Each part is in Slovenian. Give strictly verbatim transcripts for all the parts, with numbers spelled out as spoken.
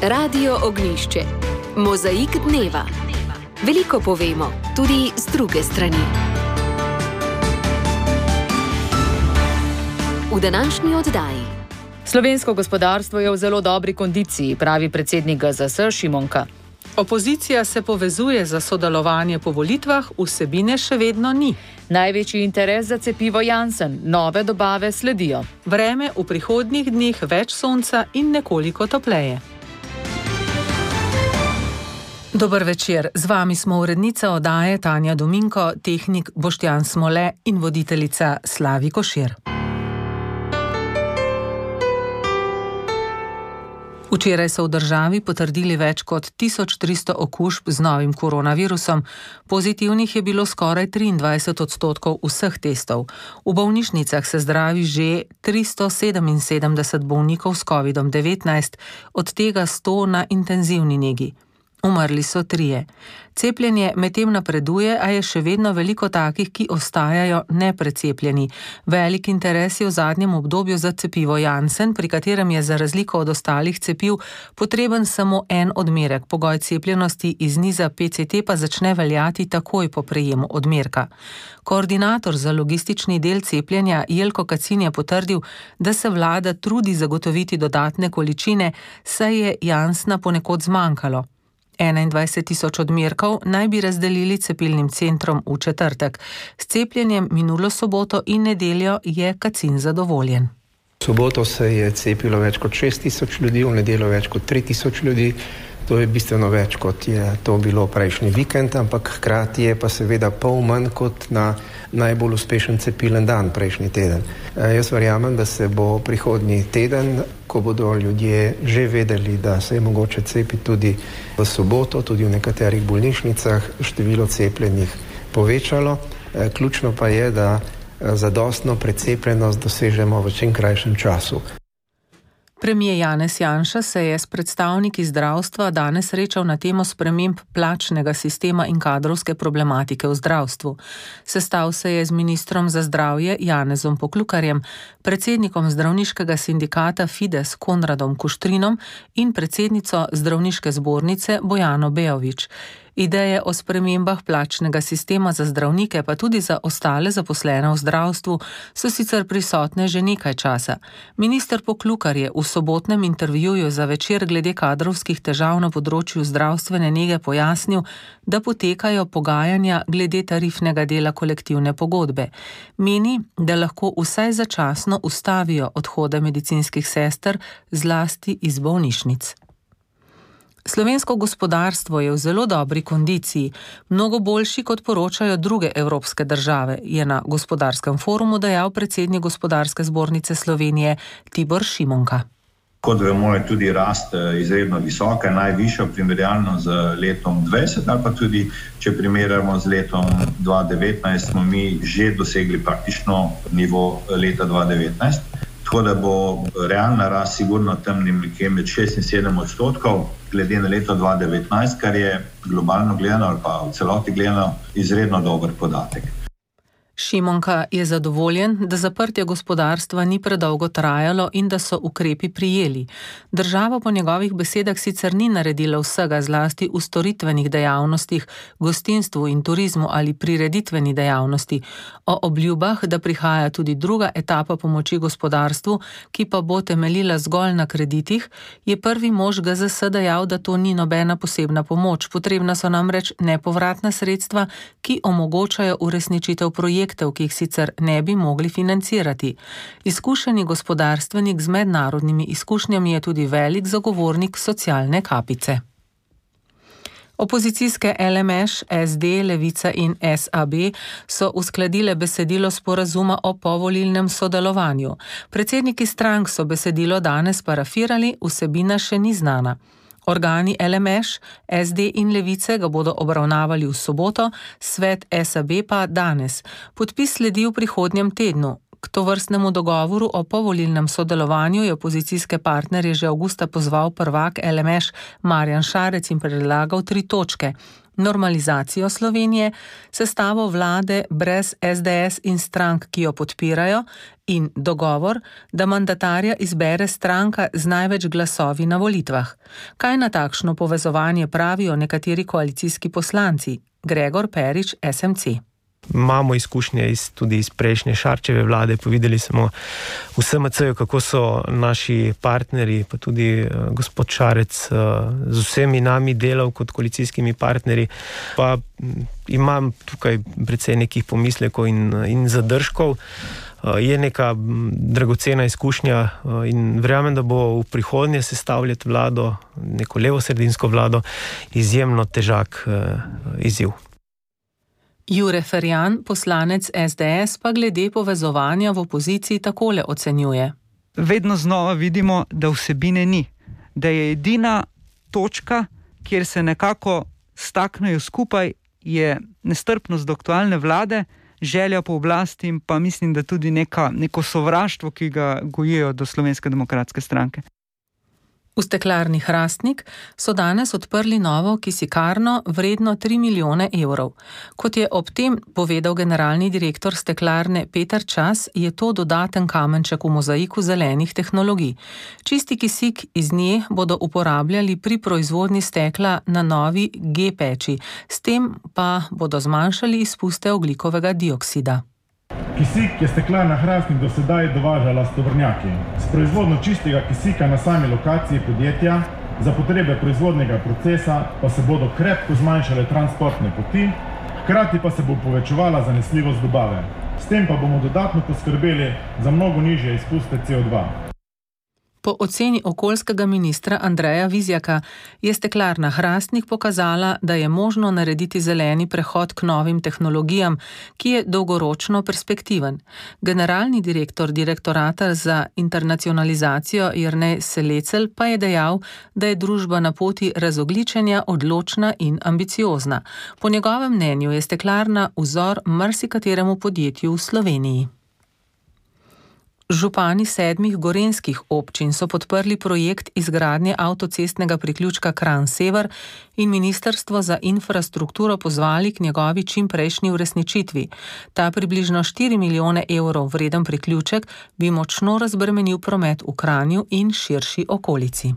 Radio Ognjišče. Mozaik dneva. Veliko povemo, tudi z druge strani. V današnji oddaji. Slovensko gospodarstvo je v zelo dobri kondiciji, pravi predsednik G Z S Šimonka. Opozicija se povezuje za sodelovanje po volitvah, vsebine še vedno ni. Največji interes za cepivo Janssen, nove dobave sledijo. Vreme v prihodnjih dneh več sonca in nekoliko topleje. Dober večer, z vami smo urednica oddaje Tanja Dominko, tehnik Boštjan Smole in voditeljica Slavi Košir. Včeraj so v državi potrdili več kot tisoč tristo okužb z novim koronavirusom. Pozitivnih je bilo skoraj triindvajset odstotkov vseh testov. V bolnišnicah se zdravi že tristo sedeminsedemdeset bolnikov s kovidom devetnajst, od tega sto na intenzivni negi. Umrli so trije. Cepljenje medtem napreduje, a je še vedno veliko takih, ki ostajajo neprecepljeni. Velik interes je v zadnjem obdobju za cepivo Janssen, pri katerem je za razliko od ostalih cepiv potreben samo en odmerek. Pogoj cepljenosti iz niza P C T pa začne veljati takoj po prejemu odmerka. Koordinator za logistični del cepljenja Jelko Kacin je potrdil, da se vlada trudi zagotoviti dodatne količine, saj je Janssena ponekod zmanjkalo. enaindvajset tisoč odmerkov naj bi razdelili cepilnim centrom v četrtek. S cepljenjem minulo soboto in nedeljo je Kacin zadovoljen. V soboto se je cepilo več kot šest tisoč ljudi, v nedeljo več kot tri tisoč ljudi. To je bistveno več, kot je to bilo prejšnji vikend, ampak hkrati je pa seveda pol manj kot na najbolj uspešen cepilen dan prejšnji teden. E, jaz verjamem, da se bo prihodnji teden, ko bodo ljudje že vedeli, da se je mogoče cepiti tudi v soboto, tudi v nekaterih bolnišnicah, število cepljenih povečalo. E, ključno pa je, da zadostno precepljenost dosežemo v čim krajšem času. Premier Janez Janša se je s predstavniki zdravstva danes srečal na temo sprememb plačnega sistema in kadrovske problematike v zdravstvu. Sestal se je z ministrom za zdravje Janezom Poklukarjem, predsednikom zdravniškega sindikata Fides Konradom Kuštrinom in predsednico zdravniške zbornice Bojano Bejović. Ideje o spremembah plačnega sistema za zdravnike, pa tudi za ostale zaposlene v zdravstvu, so sicer prisotne že nekaj časa. Minister Poklukar je v sobotnem intervjuju za Večer glede kadrovskih težav na področju zdravstvene nege pojasnil, da potekajo pogajanja glede tarifnega dela kolektivne pogodbe. Meni, da lahko vsaj začasno ustavijo odhode medicinskih sester, zlasti iz bolnišnic. Slovensko gospodarstvo je v zelo dobri kondiciji, mnogo boljši, kot poročajo druge evropske države, je na gospodarskem forumu dejal predsednik Gospodarske zbornice Slovenije Tibor Šimonka. Kot vemo, je tudi rast izredno visoka, najvišja primerjalno z letom dvajset, ali pa tudi, če primerjamo z letom dva tisoč devetnajst, smo mi že dosegli praktično nivo leta dva tisoč devetnajst. Tako da bo realna rast sigurno tam nekje med šest in sedem odstotkov glede na leto dva tisoč devetnajst, kar je globalno gledano ali pa v celoti gledano izredno dober podatek. Šimonka je zadovoljen, da zaprtje gospodarstva ni predolgo trajalo in da so ukrepi prijeli. Država po njegovih besedah sicer ni naredila vsega, zlasti v storitvenih dejavnostih, gostinstvu in turizmu ali prireditveni dejavnosti. O obljubah, da prihaja tudi druga etapa pomoči gospodarstvu, ki pa bo temeljila zgolj na kreditih, je prvi mož G Z S dejal, da to ni nobena posebna pomoč. Potrebna so namreč nepovratna sredstva, ki omogočajo uresničitev projektov, ki jih sicer ne bi mogli financirati. Izkušeni gospodarstvenik z mednarodnimi izkušnjami je tudi velik zagovornik socialne kapice. Opozicijske L M Š, S D, Levica in S A B so uskladile besedilo sporazuma o povolilnem sodelovanju. Predsedniki strank so besedilo danes parafirali, vsebina še ni znana. Organi L M Š, S D in Levice ga bodo obravnavali v soboto, svet S A B pa danes. Podpis sledi v prihodnjem tednu. K tovrstnemu dogovoru o povolilnem sodelovanju je opozicijske partnerje že avgusta pozval prvak L M Š Marjan Šarec in predlagal tri točke. normalizacijo Slovenije, sestavo vlade brez es de es in strank, ki jo podpirajo, in dogovor, da mandatarja izbere stranka z največ glasovi na volitvah. Kaj na takšno povezovanje pravijo nekateri koalicijski poslanci? Gregor Perič, es em ce. Imamo izkušnje iz, tudi iz prejšnje Šarčeve vlade, povedali smo v es em ce-ju, kako so naši partnerji, pa tudi uh, gospod Šarec uh, z vsemi nami delal kot koalicijskimi partnerji, pa um, imam tukaj precej nekih pomislekov in, in zadržkov. Uh, je neka dragocena izkušnja uh, in verjamem, da bo v prihodnje sestavljati vlado, neko levosredinsko vlado, izjemno težak uh, izziv. Jure Ferjan, poslanec es de es, pa glede povezovanja v opoziciji takole ocenjuje. Vedno znova vidimo, da vsebine ni. Da je edina točka, kjer se nekako staknejo skupaj, je nestrpnost do aktualne vlade, želja po oblasti in pa mislim, da tudi neka, neko sovraštvo, ki ga gojijo do Slovenske demokratske stranke. V steklarni Hrastnik so danes odprli novo kisikarno vredno tri milijone evrov. Kot je ob tem povedal generalni direktor steklarne Peter Čas, je to dodaten kamenček v mozaiku zelenih tehnologij. Čisti kisik iz nje bodo uporabljali pri proizvodnji stekla na novi G-peči, s tem pa bodo zmanjšali izpuste ogljikovega dioksida. Kisik je steklarna Hrastnik do sedaj dovažala s tovornjaki. S proizvodno čistega kisika na sami lokaciji podjetja za potrebe proizvodnega procesa pa se bodo krepko zmanjšale transportne poti, hkrati pa se bo povečevala zanesljivost dobave. S tem pa bomo dodatno poskrbeli za mnogo nižje izpuste ce o dva. Po oceni okoljskega ministra Andreja Vizjaka je steklarna Hrastnik pokazala, da je možno narediti zeleni prehod k novim tehnologijam, ki je dolgoročno perspektiven. Generalni direktor direktorata za internacionalizacijo Jernej Selecel pa je dejal, da je družba na poti razogličenja odločna in ambiciozna. Po njegovem mnenju je steklarna vzor marsikateremu podjetju v Sloveniji. Župani sedmih gorenjskih občin so podprli projekt izgradnje avtocestnega priključka Kranj-Sever in Ministrstvo za infrastrukturo pozvali k njegovi čimprejšnji uresničitvi. Ta približno štiri milijone evrov vreden priključek bi močno razbremenil promet v Kranju in širši okolici.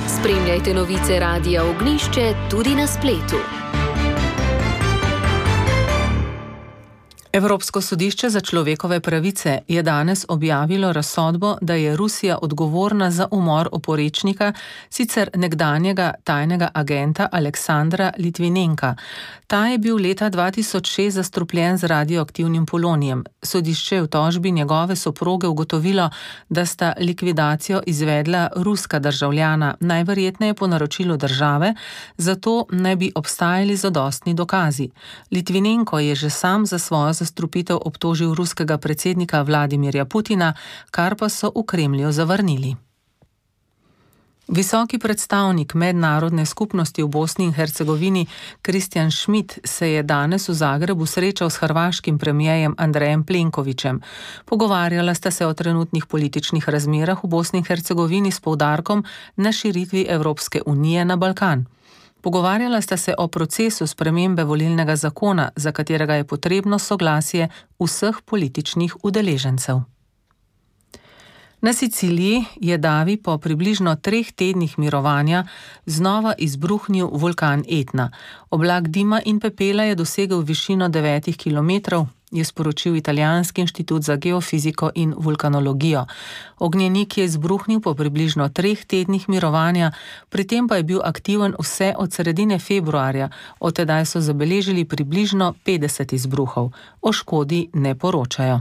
Spremljajte novice Radia Ognjišče tudi na spletu. Evropsko sodišče za človekove pravice je danes objavilo razsodbo, da je Rusija odgovorna za umor oporečnika, sicer nekdanjega tajnega agenta Aleksandra Litvinenka. Ta je bil leta dva tisoč šest zastrupljen z radioaktivnim polonijem. Sodišče je v tožbi njegove soproge ugotovilo, da sta likvidacijo izvedla ruska državljana, najverjetneje po naročilu države, zato naj bi obstajali zadostni dokazi. Litvinenko je že sam za svojo zastrupitev obtožil ruskega predsednika Vladimirja Putina, kar pa so v Kremlju zavrnili. Visoki predstavnik mednarodne skupnosti v Bosni in Hercegovini Kristjan Schmidt se je danes v Zagrebu srečal s hrvaškim premijejem Andrejem Plenkovićem. Pogovarjala sta se o trenutnih političnih razmerah v Bosni in Hercegovini s poudarkom na širitvi Evropske unije na Balkan. Pogovarjala sta se o procesu spremembe volilnega zakona, za katerega je potrebno soglasje vseh političnih udeležencev. Na Siciliji je davi po približno treh tednih mirovanja znova izbruhnil vulkan Etna. Oblak dima in pepela je dosegel višino devetih kilometrov, je sporočil Italijanski inštitut za geofiziko in vulkanologijo. Ognjenik je izbruhnil po približno treh tednih mirovanja, pri tem pa je bil aktiven vse od sredine februarja, od tedaj so zabeležili približno petdeset izbruhov. O škodi ne poročajo.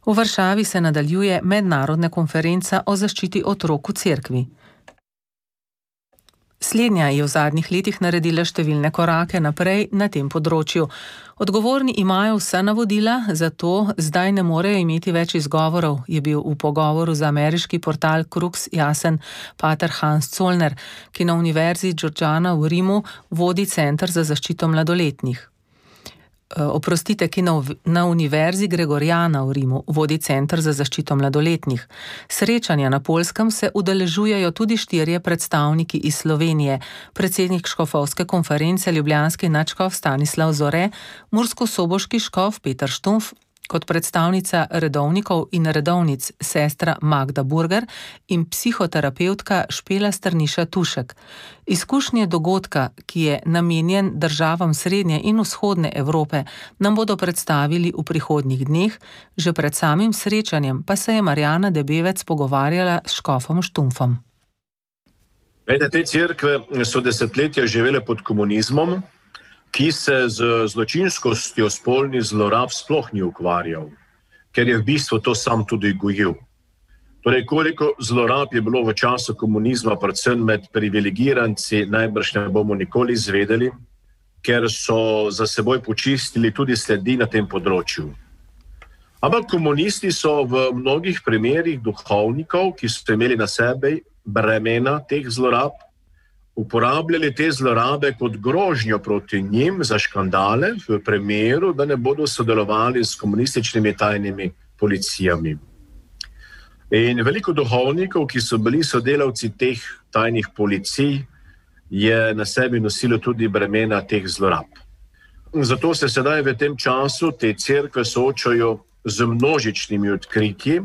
V Varšavi se nadaljuje mednarodna konferenca o zaščiti otrok v cerkvi. Slednja je v zadnjih letih naredila številne korake naprej na tem področju. Odgovorni imajo vsa navodila, zato zdaj ne morejo imeti več izgovorov, je bil v pogovoru za ameriški portal Krux jasen pater Hans Zollner, ki na Univerzi Georgiana v Rimu vodi Center za zaščito mladoletnih. oprostite, ki na, na Univerzi Gregoriana v Rimu vodi Center za zaščito mladoletnih. Srečanja na Poljskem se udeležujejo tudi štirje predstavniki iz Slovenije, predsednik škofovske konference ljubljanski nadškof Stanislav Zore, murskosoboški škof Peter Štumf, kot predstavnica redovnikov in redovnic sestra Magda Burger in psihoterapeutka Špela Strniša Tušek. Izkušnje dogodka, ki je namenjen državam srednje in vzhodne Evrope, nam bodo predstavili v prihodnjih dneh, že pred samim srečanjem pa se je Marjana Debevec pogovarjala s škofom Štumfom. Vede, te cerkve so desetletja živele pod komunizmom, ki se z zločinskostjo spolnih zlorab sploh ni ukvarjal, ker je v bistvu to sam tudi gojil. Torej, koliko zlorab je bilo v času komunizma, predvsem med privilegiranci, najbrž ne bomo nikoli izvedeli, ker so za seboj počistili tudi sledi na tem področju. Ampak komunisti so v mnogih primerih duhovnikov, ki so imeli na sebi bremena teh zlorab, uporabljali te zlorabe kot grožnjo proti njim za škandale v primeru, da ne bodo sodelovali s komunističnimi tajnimi policijami. In veliko duhovnikov, ki so bili sodelavci teh tajnih policij, je na sebi nosilo tudi bremena teh zlorab. Zato se sedaj v tem času te cerkve soočajo z množičnimi odkritji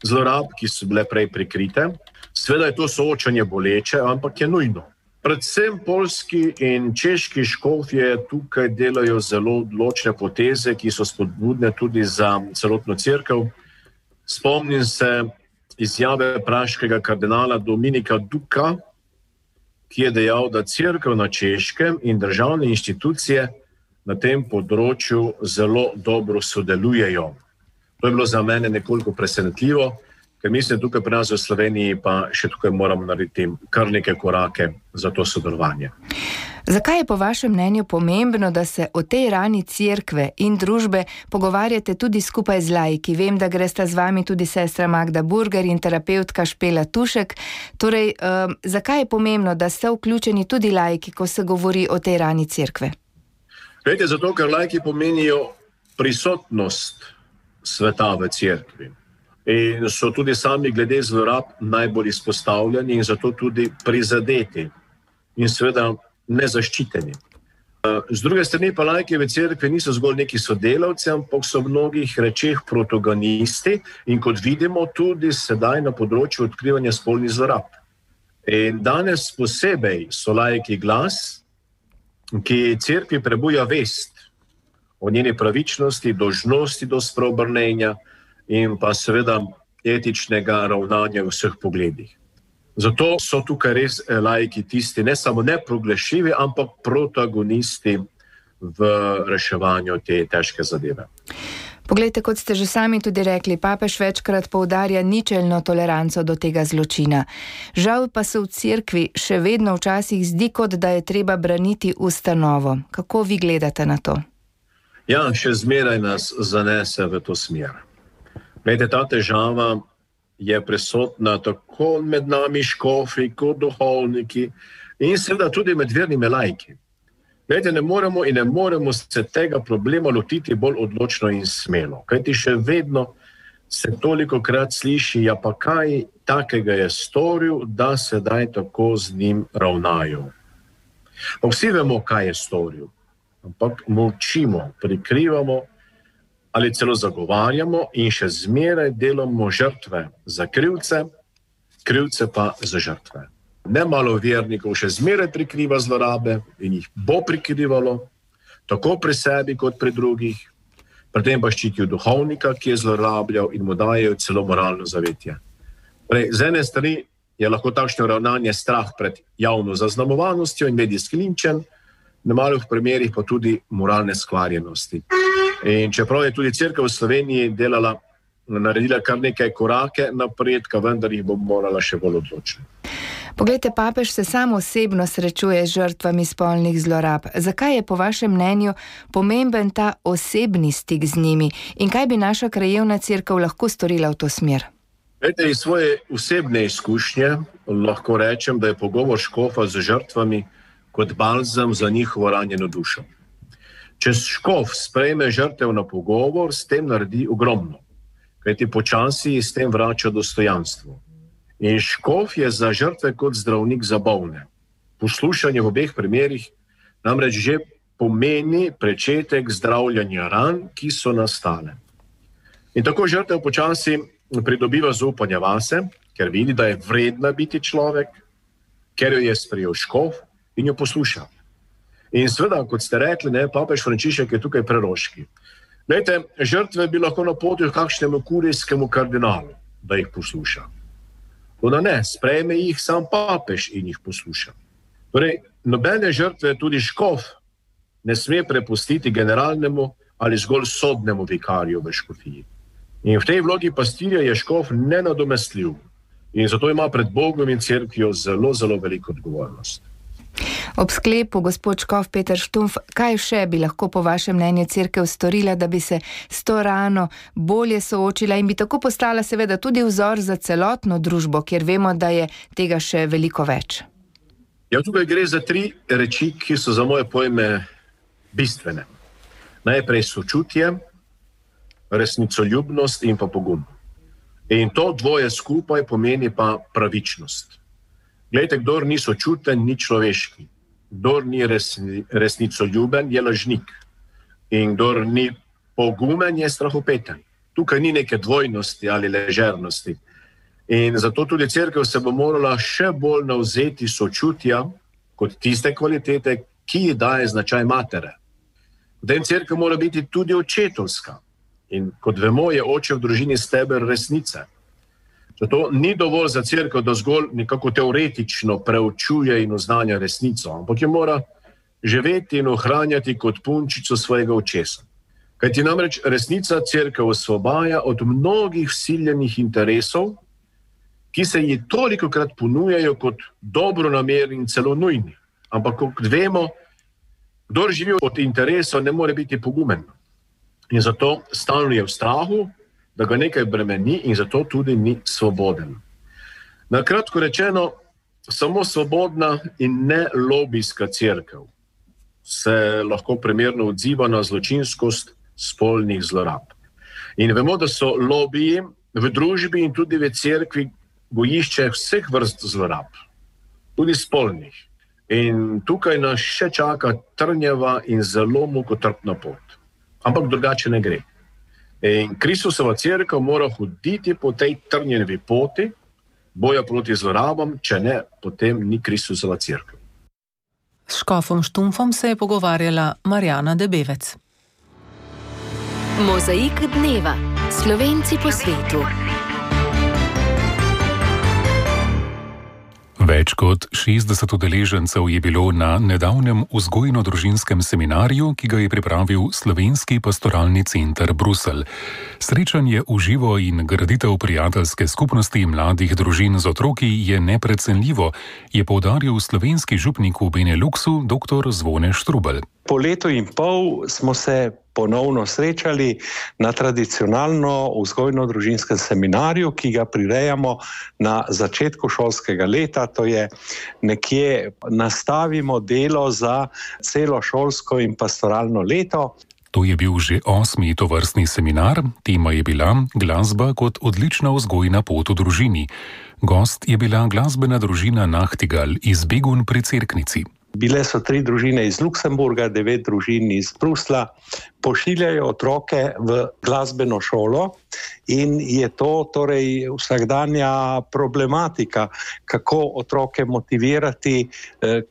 zlorab, ki so bile prej prikrite. Sveda je to soočanje boleče, ampak je nujno. Predvsem poljski in češki škofje tukaj delajo zelo odločne poteze, ki so spodbudne tudi za celotno cerkev. Spomnim se izjave praškega kardinala Dominika Duka, ki je dejal, da cerkev na Češkem in državne inštitucije na tem področju zelo dobro sodelujejo. To je bilo za mene nekoliko presenetljivo, ker mislim, tukaj pri nas v Sloveniji pa še tukaj moramo narediti kar neke korake za to sodelovanje. Zakaj je po vašem mnenju pomembno, da se o tej rani cerkve in družbe pogovarjate tudi skupaj z laiki? Vem, da gresta z vami tudi sestra Magda Burger in terapeutka Špela Tušek. Torej, um, zakaj je pomembno, da ste vključeni tudi laiki, ko se govori o tej rani cerkve? Glejte, zato, ker laiki pomenijo prisotnost sveta v cerkvi. In so tudi sami glede zlorab najbolj izpostavljeni in zato tudi prizadeti in seveda nezaščiteni. Z druge strani pa laiki v cerkvi niso zgolj neki sodelavci, ampak so v mnogih rečeh protagonisti in kot vidimo tudi sedaj na področju odkrivanja spolnih zlorab. In danes posebej so laiki glas, ki cerkvi prebuja vest o njeni pravičnosti, dolžnosti do spreobrnenja in pa seveda etičnega ravnanja v vseh pogledih. Zato so tukaj res laiki tisti, ne samo neproglašljivi, ampak protagonisti v reševanju te težke zadeve. Poglejte, kot ste že sami tudi rekli, papež večkrat poudarja ničelno toleranco do tega zločina. Žal pa se v cerkvi še vedno včasih zdi, kot da je treba braniti ustanovo. Kako vi gledate na to? Ja, še zmeraj nas zanese v to smer. Glede, ta težava je prisotna tako med nami škofi, kot duhovniki in seveda tudi med vernimi laiki. Glede, ne moremo in ne moremo se tega problema lotiti bolj odločno in smelo, kajti še vedno se toliko krat sliši, ja pa kaj takega je storil, da sedaj tako z njim ravnajo. Pa vsi vemo, kaj je storil, ampak molčimo, prikrivamo, ali celo zagovarjamo in še zmeraj delamo žrtve za krivce, krivce pa za žrtve. Nemalo vernikov še zmeraj prikriva zlorabe in jih bo prikrivalo, tako pri sebi kot pri drugih, pri tem pa ščitijo duhovnika, ki je zlorabljal in mu dajejo celo moralno zavetje. Prej, z ene strani je lahko takšno ravnanje strah pred javno zaznamovanostjo in medijski linčen, na malih primerih pa tudi moralne skvarjenosti. In čeprav je tudi cerkev v Sloveniji delala, naredila kar nekaj korake napredka, vendar jih bo morala še bolj odločno. Poglejte, papež se sam osebno srečuje z žrtvami spolnih zlorab. Zakaj je po vašem mnenju pomemben ta osebni stik z njimi in kaj bi naša krajevna cerkev lahko storila v to smer? Glejte, iz svoje osebne izkušnje lahko rečem, da je pogovor škofa z žrtvami kot balzam za njihovo ranjeno dušo. Če škof sprejme žrtev na pogovor, s tem naredi ogromno, kajti počasi s tem vrača dostojanstvo. In škof je za žrtve kot zdravnik za bolne. Poslušanje v obeh primerih namreč že pomeni začetek zdravljenja ran, ki so nastale. In tako žrtev počasi pridobiva zaupanje vase, ker vidi, da je vredna biti človek, ker jo je sprejel škof in jo posluša. In seveda, kot ste rekli, ne, papež Frančišek je tukaj preroški. Glejte, žrtve bi lahko napotil kakšnemu kurijskemu kardinalu, da jih posluša. Toda ne, sprejme jih sam papež in jih posluša. Torej, nobene žrtve, tudi škof, ne sme prepustiti generalnemu ali zgolj sodnemu vikarju v škofiji. In v tej vlogi pastirja je škof nenadomestljiv in zato ima pred Bogom in cerkvijo zelo, zelo veliko odgovornost. Ob sklepu, gospod škof Peter Štumpf, kaj še bi lahko po vašem mnenju cerkev storila, da bi se s to rano bolje soočila in bi tako postala seveda tudi vzor za celotno družbo, kjer vemo, da je tega še veliko več? Ja, tukaj gre za tri reči, ki so za moje pojme bistvene. Najprej sočutje, resnicoljubnost in pa pogum. In to dvoje skupaj pomeni pa pravičnost. Glejte, kdor ni sočuten, ni človeški. Kdor ni resni, resnicoljuben, je lažnik. In kdor ni pogumen, je strahopeten. Tukaj ni neke dvojnosti ali ležernosti. In zato tudi cerkev se bo morala še bolj navzeti sočutja kot tiste kvalitete, ki ji daje značaj matere. Den cerkev mora biti tudi očetovska. In kot vemo, je oče v družini steber resnice. Zato ni dovolj za cerkev, da zgolj nekako teoretično preučuje in oznanja resnico, ampak jo mora živeti in ohranjati kot punčico svojega očesa. Kajti namreč resnica cerkev osvobaja od mnogih vsiljenih interesov, ki se ji tolikokrat ponujajo kot dobronamerni in celo nujni. Ampak kot vemo, kdor živi od interesov, ne more biti pogumen. In zato stalno je v strahu, da ga nekaj bremeni in zato tudi ni svoboden. Na kratko rečeno, samo svobodna in ne lobijska cerkev se lahko primerno odziva na zločinskost spolnih zlorab. In vemo, da so lobiji v družbi in tudi v cerkvi gojišče vseh vrst zlorab, tudi spolnih. In tukaj nas še čaka trnjava in zelo mukotrpna pot. Ampak drugače ne gre. In Kristusova cerkev mora hoditi po tej trnjevi poti boja proti zlorabam, če ne, potem ni Kristusova cerkev. S škofom Štumpfom se je pogovarjala Marjana Debevec. Mozaik dneva. Slovenci po svetu. Več kot šestdeset udeležencev je bilo na nedavnem vzgojno-družinskem seminarju, ki ga je pripravil Slovenski pastoralni center Bruselj. Srečanje v živo in graditev prijateljske skupnosti mladih družin z otroki je neprecenljivo, je poudaril slovenski župnik v Beneluxu dr. Zvone Štrubelj. Po letu in pol smo se ponovno srečali na tradicionalno vzgojno-družinskem seminarju, ki ga prirejamo na začetku šolskega leta, to je nekje nastavimo delo za celo šolsko in pastoralno leto. To je bil že osmi tovrstni seminar, tema je bila glasba kot odlična vzgojna pot v družini. Gost je bila glasbena družina Nachtigal iz Begun pri Cerknici. Bile so tri družine iz Luksemburga, devet družin iz Bruslja, pošiljajo otroke v glasbeno šolo in je to torej vsakdanja problematika, kako otroke motivirati,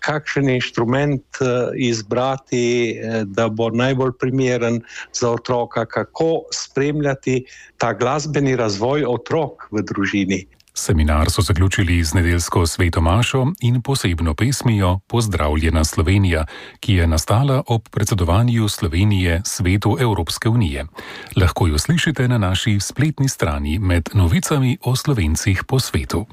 kakšen inštrument izbrati, da bo najbolj primeren za otroka, kako spremljati ta glasbeni razvoj otrok v družini. Seminar so zaključili z nedeljsko sveto mašo in posebno pesmijo Pozdravljena Slovenija, ki je nastala ob predsedovanju Slovenije Svetu Evropske unije. Lahko jo slišite na naši spletni strani med novicami o Slovencih po svetu.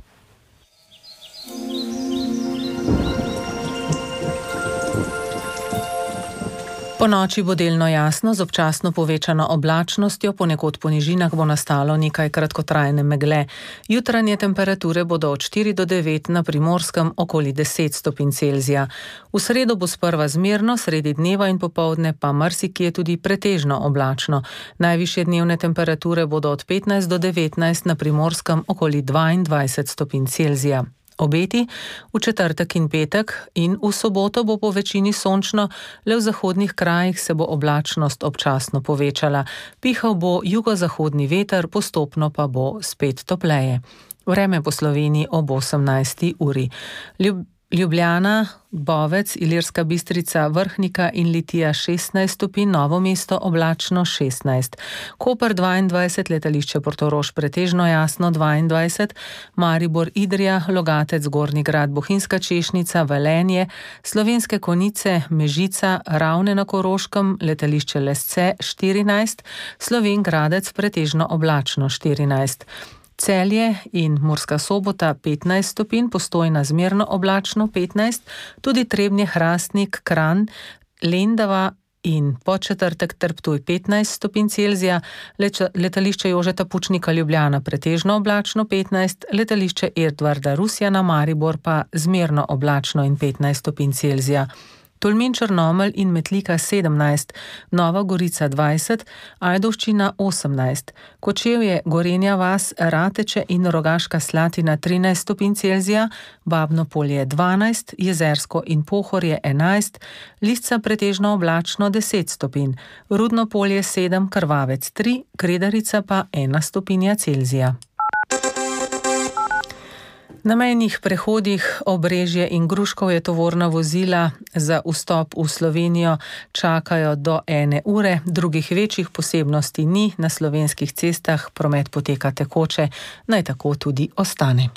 Po noči bo delno jasno, z občasno povečano oblačnostjo, ponekod po nižinah bo nastalo nekaj kratkotrajne megle. Jutranje temperature bodo od štiri do devet, na Primorskem okoli deset stopinj Celzija. V sredo bo sprva zmerno, sredi dneva in popoldne pa marsikje tudi pretežno oblačno. Najvišje dnevne temperature bodo od petnajst do devetnajst, na Primorskem okoli dvaindvajset stopinj Celzija. Obeti v četrtek in petek in v soboto bo po večini sončno, le v zahodnih krajih se bo oblačnost občasno povečala. Pihal bo jugozahodni veter, postopno pa bo spet topleje. Vreme po Sloveniji ob osemnajsti uri. Ljub Ljubljana, Bovec, Ilirska Bistrica, Vrhnika in Litija šestnajst stopinj, Novo mesto oblačno šestnajst. Koper dvaindvajset, letališče Portorož pretežno jasno dvaindvajset, Maribor, Idrija, Logatec, Gornji Grad, Bohinjska Češnica, Velenje, Slovenske Konjice, Mežica, Ravne na Koroškem, letališče Lesce štirinajst, Slovenj Gradec pretežno oblačno štirinajst. Celje in Murska Sobota petnajst stopinj, Postojna zmerno oblačno petnajst, tudi Trebnje, Hrastnik, Kranj, Lendava in Podčetrtek ter Ptuj petnajst stopinj Celzija, letališče Jožeta Pučnika Ljubljana pretežno oblačno petnajst, letališče Edvarda Rusjana Maribor pa zmerno oblačno in petnajst stopinj Celzija. Tolmin, Črnomelj in Metlika sedemnajst, Nova Gorica dvajset, Ajdovščina osemnajst, Kočevje, Gorenja vas, Rateče in Rogaška Slatina trinajst stopinj Celzija, Babno Polje dvanajst, Jezersko in Pohorje enajst, Lisca pretežno oblačno deset stopinj, Rudno Polje sedem, Krvavec tri, Kredarica pa ena stopinja Celzija. Na mejnih prehodih Obrežje in Gruškov je tovorna vozila za vstop v Slovenijo čakajo do ene ure, drugih večjih posebnosti ni, na slovenskih cestah promet poteka tekoče, naj tako tudi ostane.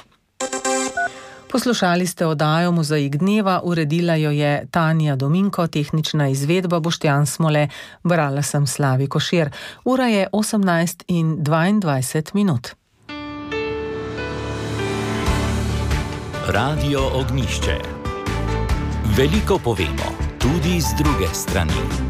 Poslušali ste oddajo Mozaik dneva, uredila jo je Tanja Dominko, tehnična izvedba Boštjan Smole, brala sem Slavi Košir. Ura je osemnajst in dvaindvajset minut. Radio Ognjišče. Veliko povemo, tudi z druge strani.